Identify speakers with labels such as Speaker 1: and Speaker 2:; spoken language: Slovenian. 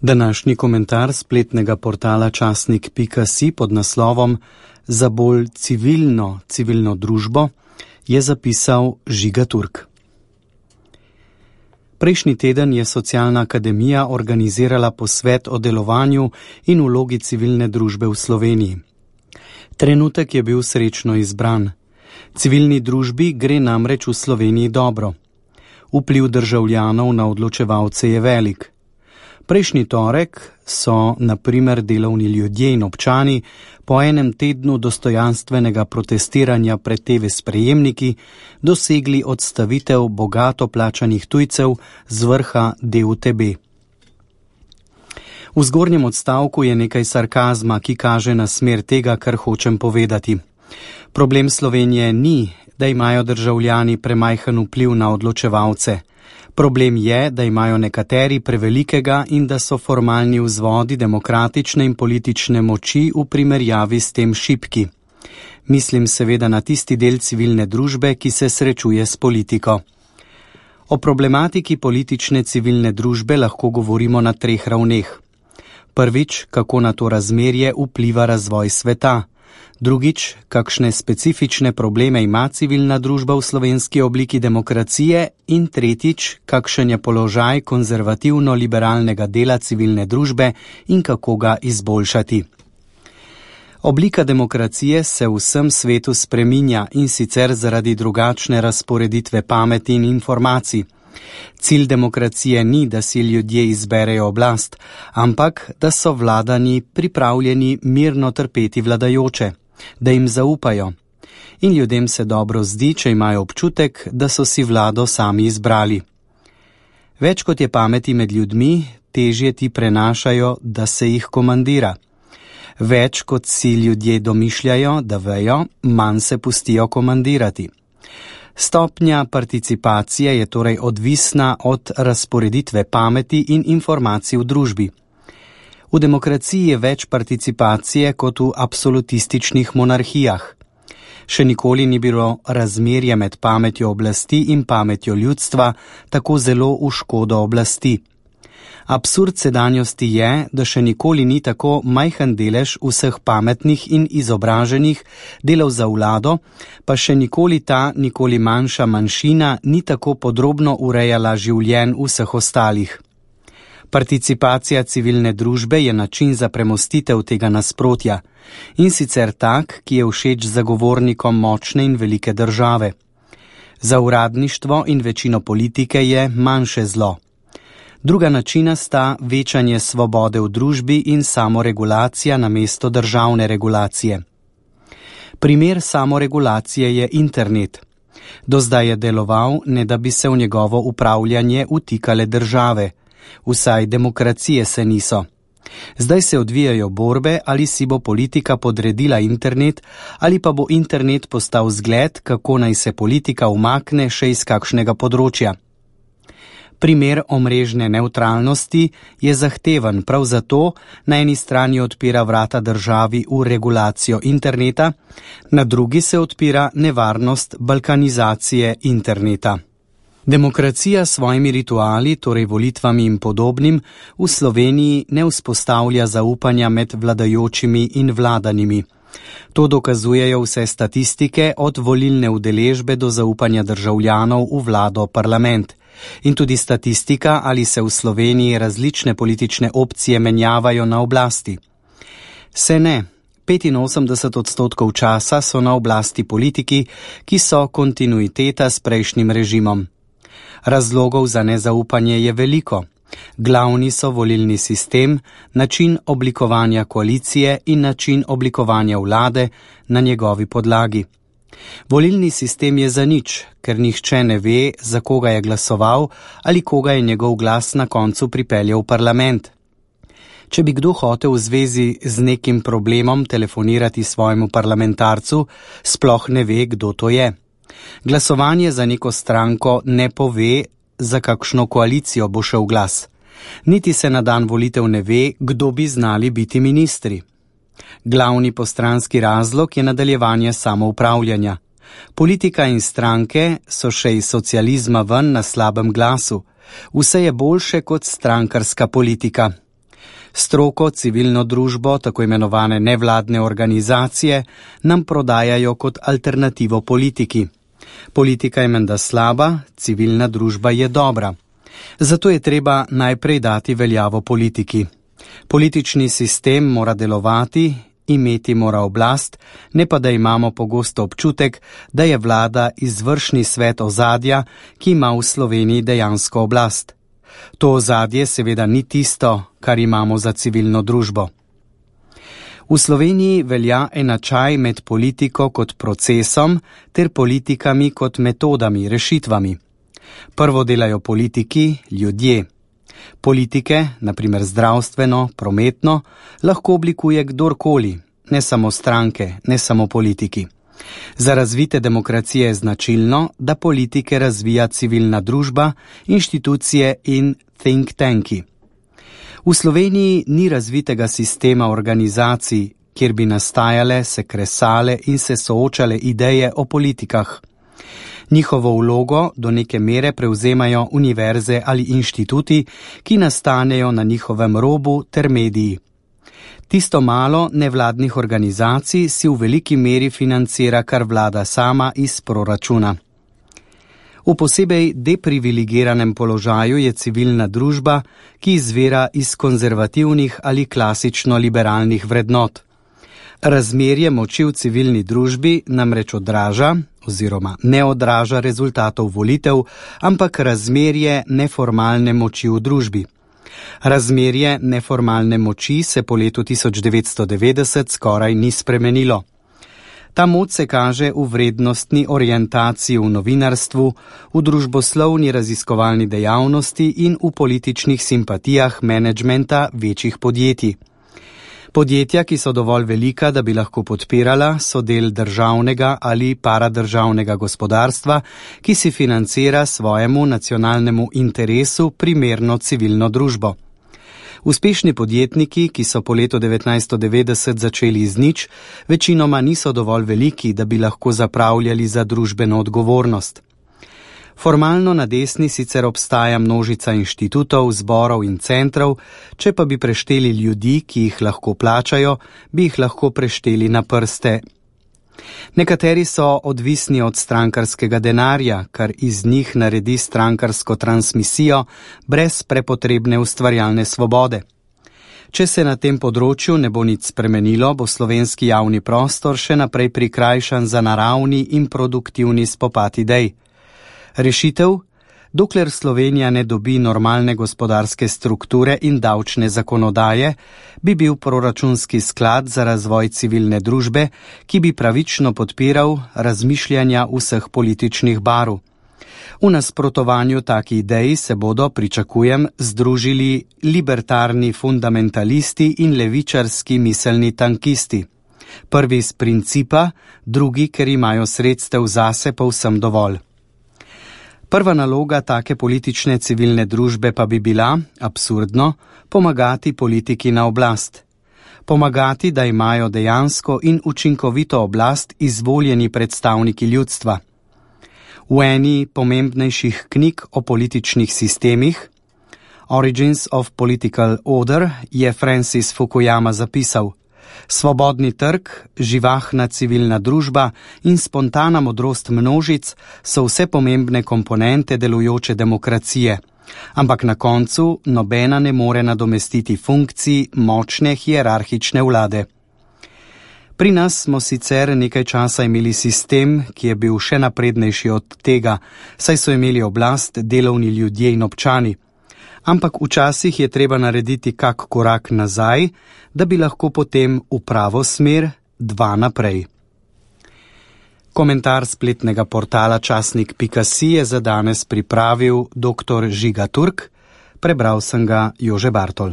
Speaker 1: Današnji komentar spletnega portala časnik.si pod naslovom Za bolj civilno družbo je zapisal Žiga Turk. Prejšnji teden je Socialna akademija organizirala posvet o delovanju in vlogi civilne družbe v Sloveniji. Trenutek je bil srečno izbran. Civilni družbi gre namreč v Sloveniji dobro. Vpliv državljanov na odločevalce je velik. Prejšnji torek so, na primer, delovni ljudje in občani po enem tednu dostojanstvenega protestiranja pred TV sprejemniki dosegli odstavitev bogato plačanih tujcev z vrha DUTB. V zgornjem odstavku je nekaj sarkazma, ki kaže na smer tega, kar hočem povedati. Problem Slovenije ni, da imajo državljani premajhen vpliv na odločevalce. Problem je, da imajo nekateri prevelikega in da so formalni vzvodi demokratične in politične moči v primerjavi s tem šibki. Mislim seveda na tisti del civilne družbe, ki se srečuje s politiko. O problematiki politične civilne družbe lahko govorimo na 3 ravneh. Prvič, kako na to razmerje vpliva razvoj sveta. Drugič, kakšne specifične probleme ima civilna družba v slovenski obliki demokracije in tretjič, kakšen je položaj konzervativno-liberalnega dela civilne družbe in kako ga izboljšati. Oblika demokracije se v vsem svetu spreminja in sicer zaradi drugačne razporeditve pameti in informacij. Cilj demokracije ni, da si ljudje izberejo oblast, ampak da so vladani pripravljeni mirno trpeti vladajoče, da jim zaupajo. In ljudem se dobro zdi, če imajo občutek, da so si vlado sami izbrali. Več kot je pameti med ljudmi, težje ti prenašajo, da se jih komandira. Več kot si ljudje domišljajo, da vejo, manj se pustijo komandirati. Stopnja participacije je torej odvisna od razporeditve pameti in informacij v družbi. V demokraciji je več participacije kot v absolutističnih monarhijah. Še nikoli ni bilo razmerje med pametjo oblasti in pametjo ljudstva tako zelo v škodo oblasti. Absurd sedanjosti je, da še nikoli ni tako majhen delež vseh pametnih in izobraženih delal za vlado, pa še nikoli nikoli manjša manjšina ni tako podrobno urejala življenj vseh ostalih. Participacija civilne družbe je način za premostitev tega nasprotja, in sicer tak, ki je všeč zagovornikom močne in velike države. Za uradništvo in večino politike je manjše zlo. Druga načina sta večanje svobode v družbi in samoregulacija namesto državne regulacije. Primer samoregulacije je internet. Do zdaj je deloval, ne da bi se v njegovo upravljanje vtikale države. Vsaj demokracije se niso. Zdaj se odvijajo borbe, ali si bo politika podredila internet, ali pa bo internet postal zgled, kako naj se politika umakne še iz kakšnega področja. Primer omrežne nevtralnosti je zahteven, prav zato na eni strani odpira vrata državi v regulacijo interneta, na drugi se odpira nevarnost balkanizacije interneta. Demokracija s svojimi rituali, torej volitvami in podobnim, v Sloveniji ne vzpostavlja zaupanja med vladajočimi in vladanimi. To dokazujejo vse statistike od volilne udeležbe do zaupanja državljanov v vlado, parlament. In tudi statistika, ali se v Sloveniji različne politične opcije menjavajo na oblasti. Se ne, 85% časa so na oblasti politiki, ki so kontinuiteta s prejšnjim režimom. Razlogov za nezaupanje je veliko. Glavni so volilni sistem, način oblikovanja koalicije in način oblikovanja vlade na njegovi podlagi. Volilni sistem je zanič, ker nihče ne ve, za koga je glasoval ali koga je njegov glas na koncu pripeljal v parlament. Če bi kdo hotel v zvezi z nekim problemom telefonirati svojemu parlamentarcu, sploh ne ve, kdo to je. Glasovanje za neko stranko ne pove, za kakšno koalicijo bo šel glas. Niti se na dan volitev ne ve, kdo bi znali biti ministri. Glavni postranski razlog je nadaljevanje samoupravljanja. Politika in stranke so še iz socializma ven na slabem glasu. Vse je boljše kot strankarska politika. Stroko, civilno družbo, tako imenovane nevladne organizacije, nam prodajajo kot alternativo politiki. Politika je menda slaba, civilna družba je dobra. Zato je treba najprej dati veljavo politiki. Politični sistem mora delovati, imeti mora oblast, ne pa da imamo pogosto občutek, da je vlada izvršni svet ozadja, ki ima v Sloveniji dejansko oblast. To ozadje seveda ni tisto, kar imamo za civilno družbo. V Sloveniji velja enačaj med politiko kot procesom ter politikami kot metodami, rešitvami. Prvo delajo politiki, ljudje. Politike, na primer zdravstveno, prometno, lahko oblikuje kdorkoli, ne samo stranke, ne samo politiki. Za razvite demokracije je značilno, da politike razvija civilna družba, inštitucije in think tanki. V Sloveniji ni razvitega sistema organizacij, kjer bi nastajale, se kresale in se soočale ideje o politikah. Njihovo vlogo do neke mere prevzemajo univerze ali inštituti, ki nastanejo na njihovem robu ter mediji. Tisto malo nevladnih organizacij si v veliki meri financira kar vlada sama iz proračuna. V posebej deprivilegiranem položaju je civilna družba, ki izvira iz konzervativnih ali klasično liberalnih vrednot. Razmerje moči v civilni družbi namreč odraža oziroma ne odraža rezultatov volitev, ampak razmerje neformalne moči v družbi. Razmerje neformalne moči se po letu 1990 skoraj ni spremenilo. Ta moč se kaže v vrednostni orientaciji v novinarstvu, v družboslovni raziskovalni dejavnosti in v političnih simpatijah menedžmenta večjih podjetij. Podjetja, ki so dovolj velika, da bi lahko podpirala, so del državnega ali paradržavnega gospodarstva, ki si financira svojemu nacionalnemu interesu primerno civilno družbo. Uspešni podjetniki, ki so po letu 1990 začeli iz nič, večinoma niso dovolj veliki, da bi lahko zapravljali za družbeno odgovornost. Formalno na desni sicer obstaja množica inštitutov, zborov in centrov, če pa bi prešteli ljudi, ki jih lahko plačajo, bi jih lahko prešteli na prste. Nekateri so odvisni od strankarskega denarja, kar iz njih naredi strankarsko transmisijo brez prepotrebne ustvarjalne svobode. Če se na tem področju ne bo nič spremenilo, bo slovenski javni prostor še naprej prikrajšan za naravni in produktivni spopad idej. Rešitev? Dokler Slovenija ne dobi normalne gospodarske strukture in davčne zakonodaje, bi bil proračunski sklad za razvoj civilne družbe, ki bi pravično podpiral razmišljanja vseh političnih barv. V nasprotovanju taki ideji se bodo, pričakujem, združili libertarni fundamentalisti in levičarski miselni tankisti. Prvi iz principa, drugi, ker imajo sredstev zase povsem dovolj. Prva naloga take politične civilne družbe pa bi bila, absurdno, pomagati politiki na oblast. Pomagati, da imajo dejansko in učinkovito oblast izvoljeni predstavniki ljudstva. V eni pomembnejših knjig o političnih sistemih, Origins of Political Order, je Francis Fukuyama zapisal: svobodni trg, živahna civilna družba in spontana modrost množic so vse pomembne komponente delujoče demokracije, ampak na koncu nobena ne more nadomestiti funkcij močne hierarhične vlade. Pri nas smo sicer nekaj časa imeli sistem, ki je bil še naprednejši od tega, saj so imeli oblast delovni ljudje in občani. Ampak včasih je treba narediti kak korak nazaj, da bi lahko potem v pravo smer dva naprej. Komentar spletnega portala časnik.si je za danes pripravil dr. Žiga Turk, prebral sem ga Jože Bartol.